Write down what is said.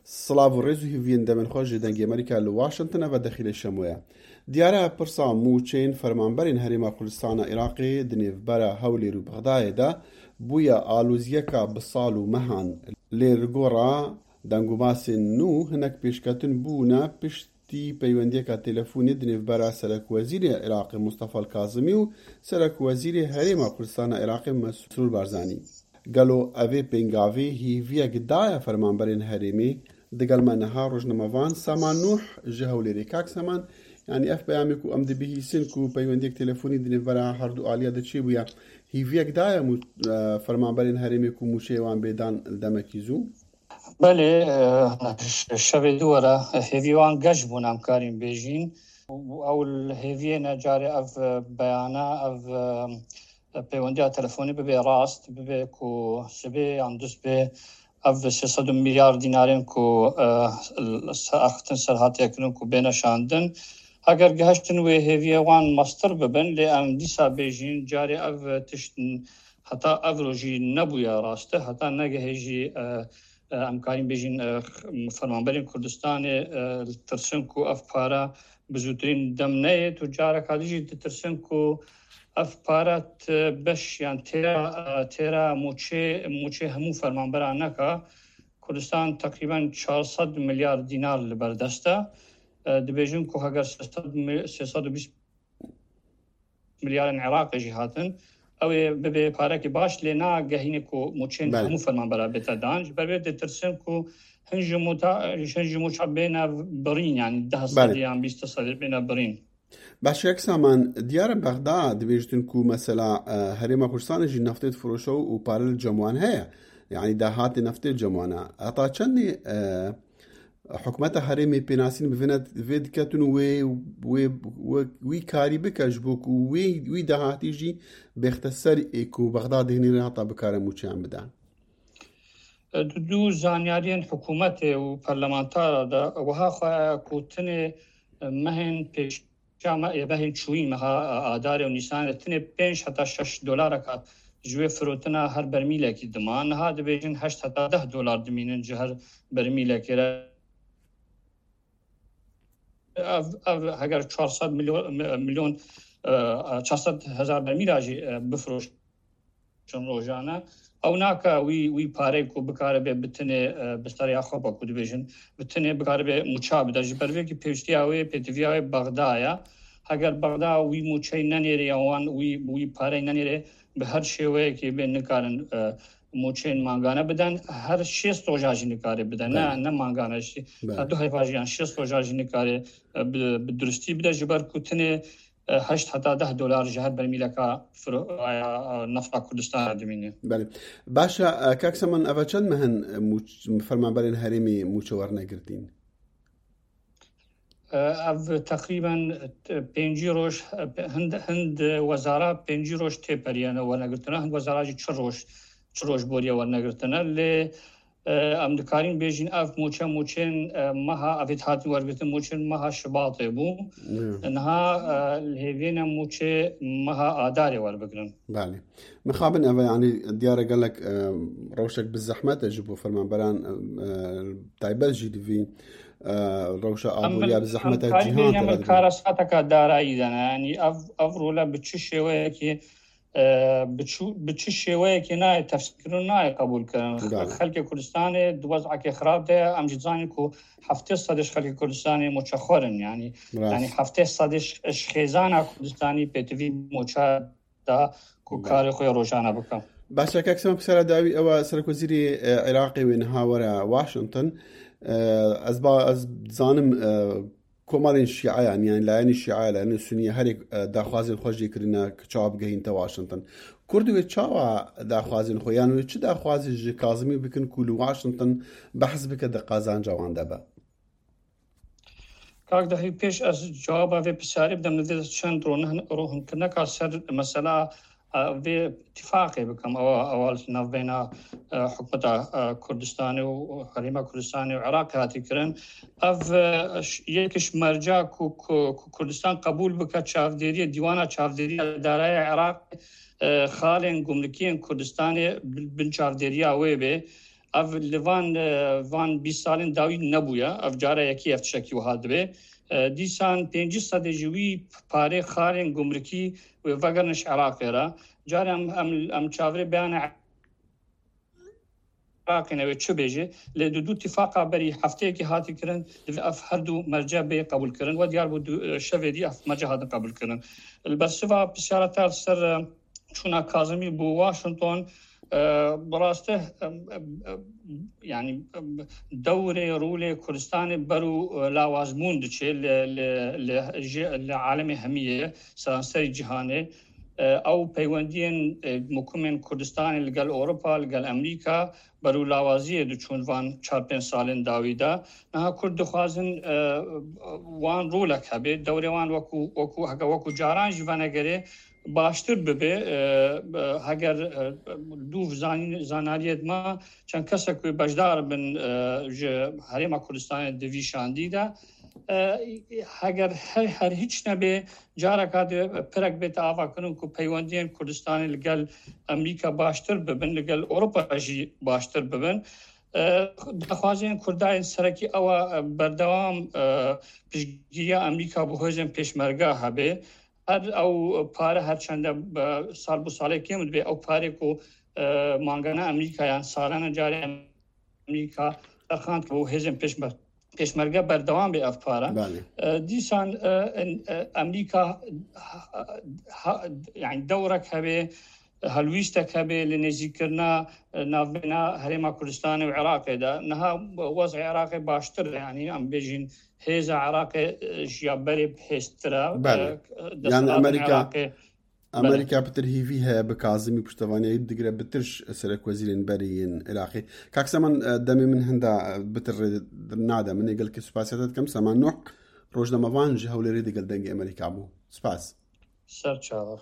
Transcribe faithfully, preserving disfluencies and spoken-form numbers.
Silav û rêz û hîviyên demên xwe ji Dengê Amerîka li Washington, eve Dexîlê Şemo ye. Diyar e, pirsa mûçeyên fermanberên Herêma Kurdistana Iraqê di nêvbera Hewlêr û Bexdayê de bûye aloziyeka bi sal û mehan. Lê li gora deng û basên nû hinek pêşketin bûne piştî peywendiyeka telefonî di nêvbera Serekwezîrê Iraqê Mustafa Kazimî û Serekwezîrê Herêma Kurdistana Iraqê Mesrûr Barzanî. Gelo evê pêngavê hîviyek daye fermanberên herêmê? Digel me niha rojnamevan Saman Nûh ji Hewlêrê. Kak Saman, yanî ev peyamê ku em dibihîsin ku peywendiyek telefonî di nêvbera her du aliya de çêbûye, hîviyek daye mû-, e, fermanberên herêmê ku mûçeyê wan bê dan li demekî zû? Belê, e, ş-, şevê dû were, e, hêvî wan geş bûn, em karîn bêjîn. Ew li hêviyê ne carê ev, e, beyana, ev, e, peywendiya telefonî bibe rast, bibe ku sibê yan dust bê, ev sê sed milyar dînarên ku, e, se-, axiftin ser hatiye kirin ku bêne şandin. Eger gihiştin wê hêviyê wan mestir bibin, lê em dîsa bêjîn, carê ev tişt heta ev rojî nebûye rast e, heta negehê jî, e, e, em karîn bêjin, e, fermanberên Kurdistanê, e, tirsin ku ev para bi zûtirîn dem neyê. Tu careka dî jî ditirsin ku ev para ti beş yan têra, e, têra mûçê, mûçê hemû fermanberan neka. Kurdistan teqrîben çar sed milyar dînar li ber dest e. E, dibêjin ku heger sê sed mi-, sê sed û bîst milyarên Iraqê jî hatin, ew ê bibe parekî baş, lê nagehîne ku mûçên Belê. hemû fermanbera bête dan. Ji ber vê ditirsin ku hin ji mûta-, hin ji mûça bêne birîn, yanî deh Belê. sedî yan bîst sedî bêne birîn. Baş, Kek Saman, diyar e Bexda dibêjtin ku mesela, e, Herêma Kurdistanê jî neftê difiroşe û pare li cem wan heye. Yanî dahatê neftê li cem wan e. Heta çendê, e, Hikûmeta herêmê pênasîn bi vê ne-, vê diketin û wê, wê, wê, wî karî bike ji bo ku wê, wî dahatî jî bêxte ser ê ku Bexda dihênî re heta bikare mûçeyan bide. Di dû zanyariyên hikûmetê û parlamentara de wiha xwe ku tinê mehên pêş Ya me ê mehên çûyîn, meha Adarê û Nîsanê de tinê pênc heta şeş dolareka ji wê firotina her bermîlekî dima. Niha dibêjin heşt heta deh dolar dimînin ji her bermîlekê re. Ev, ev heger çar sed milyon, milyon, e, çar sed hezar bermîla jî, e, bifiroş-, çend rojane. Ew nake wî, wî pareyê ku bikaribe bi tinê, e, bi seriya xwe be ku dibêjin, bi tinê bikaribe mûça bide. Ji ber vê kî pêwîstiya wê, pêtiviya wê Bexda ye. Heger Bexda wî mûçeyê nenêrê ya wan, wî, wî pareyê nenêrê, bi her şêweyekê bê nikarin, e, mûçeyên mangane biden. Her şêst roja jî nikare bide. Ne, Belê. ne mangane jî. Belê. Her du heyfa jî yan şêst roja jî nikare, e, bi, bi durustî bide. Ji ber ku tinê e, heşt heta deh dolar ji her bermîleka firo-, e, nefta Kurdistan re dimîne. Belê. Baş e, e, Kak Saman, eve çend meh in, e, mûç-, fermanberên herêmê mûçe werne girtîn? E, ev teqrîben, e, pêncî roj, e, hind, hind wezara pêncî roj tê periyene wernegirtine, hind wezara jî çi roj, çi roj boriye wernegirtine. Lê E, em dikarin bêjin ev mûçe, mûçên, e, meha, ev ê hatin wergirtin, mûçên meha Şibatê bû. Niha, e, li hêviyê ne mûçê meha Adarê werbigirin. Belê. Mixabin eve, yanî diyar e gelek, e, rewşek bi zehmet e ji bo fermanberan, e, taybet jî di vî, e, rewşa Em aboriya min, bi zehmet e cîhan bêjin, te min ve dibin. Karasateka darayî de ne. Yanî ev, ev role bi çi şêweyekî e, bi çu-, bi çi şêweyekê nayê tefsîrkirin, nayê qebûlkirin. Belê. Xelkê Kurdistanê di wez'ekê xirab de ye. Em jî dizanin ku heftê sedê ji xelkê Kurdistanê moçexwer in. Yanî, Rast. yanî heftê sedê ji, ji xêzana Kurdistanî pêtivî moça da ku Belê. karê xwe ya rojane bike. Baş e, Kak Saman, pirsera dawî ew e, Serokwezîrê, e, Iraqê wê niha were Washington. E, ez ba-, ez dizanim, e, Komarên Şiayan, yani layenê Şia, layenê Suniye herê, e, daxwazên xwe jê kirine ki çawa bigehîn te Washington. Kurd wê çawa daxwazên xwe, yan wê çi daxwazê ji Kazimî bikin ku li Washington behs bike di qazanca wan de be? Kak Dehî, pêş ez cewaba vê pisyarê bidim, li vê çend rohin-, rohinkirneka ser mesela, e, vê îtîfaqê bikim. Ewa, ewa li navbeyna, e, hikûmeta, e, Kurdistanê û Herêma Kurdistanê û Iraqê hatî kirin. Ev, e, ş-, yek ji merca ku, ku, ku Kurdistan qebûl bike çavdêriyê, dîwana çavdêriya daraya Iraqê, e, xalên gumrikiyên Kurdistanê bin, bin çavdêriya wê bê. Ev li van, e, van bîst salên dawî nebûye. Ev cara yekî ev tiştekî wiha dibe. E, dîsan pêncî sedê ji wî parê xarên gumrikî wê vegerin ji Iraqê re. Carê em, em, em çavirê beyana Iraqê ne wê çi bêje, lê di du tifaqa berî hefteyekî hatî kirin, divê ev her du merce bê qebûl kirin. We diyar bû du, e, şevê dî ev merce hatin qebûl kirin. Li bersiva pisyara te li ser, e, çûna Kazimî bû Washington, e, bi rastî, e, e, e, yanî, e, dewrê, rolê Kurdistanê ber û, e, lawazbûn diçe li, li, li, ji, li alemê hemiyê, seranserî cîhanê. E, ew peywendiyên, e, mukumên Kurdistanê li gel Ewropa, li gel Amerîka, berûlawaziyê diçûn van çar pênc salên dawî de. Niha Kurd dixwazin, e, wan rolek hebe, dewrê wan wekû, wekû, heke wekû caran jî venegerê baştir bibe. E, e, heger, e, dûv zanî-, zanariyê dima çend kesek wê beşdar bin, e, ji Herêma Kurdistanê di vî şandî de. E, heger her, her hiç nebe, careka di pirek bête avakirin ku peywendiyên Kurdistanê li gel Amerîka baştir bibin, li gel Ewropa jî baştir bibin. E, daxwazên Kurda yên serekî ew e, berdewam, e, piştgiriya Amerîka bi hêzên pêşmerge hebe. Her ew pare her çende, e, sal bo salê kêm dibe, ew parê ku, e, mangane Amerîka yan salane carê Amerîka terxand bo hêzên pêşmer-, pêşmerge berdewam bê ev para. Belê. E, dîsan, e, en-, e, Amerîka ha, ha, yani dewrek hebe, helwîstek hebe li nêzîkkirina, e, navbeyna Herêma Kurdistanê û Iraqê de. Niha wezê Iraqê baştir e, yani em bêjin hêza Iraqê, e, ji ya berê hêztir e. Belê. E, Yani deselatên Amerîka, Iraqê. Belê. Amerîka pitir hîvî heye bi Kazimî piştevaniyê digire bitir ji serekwezîrên berê yên Iraqê. Kak Seman, e, demê min hinda, e, bitir rê nade. Min ê gelkî spasiya te dikim. Seman Nuh, rojnamevan ji Hewlêrê digel Dengê Amerîka bû. Spas. Ser çava.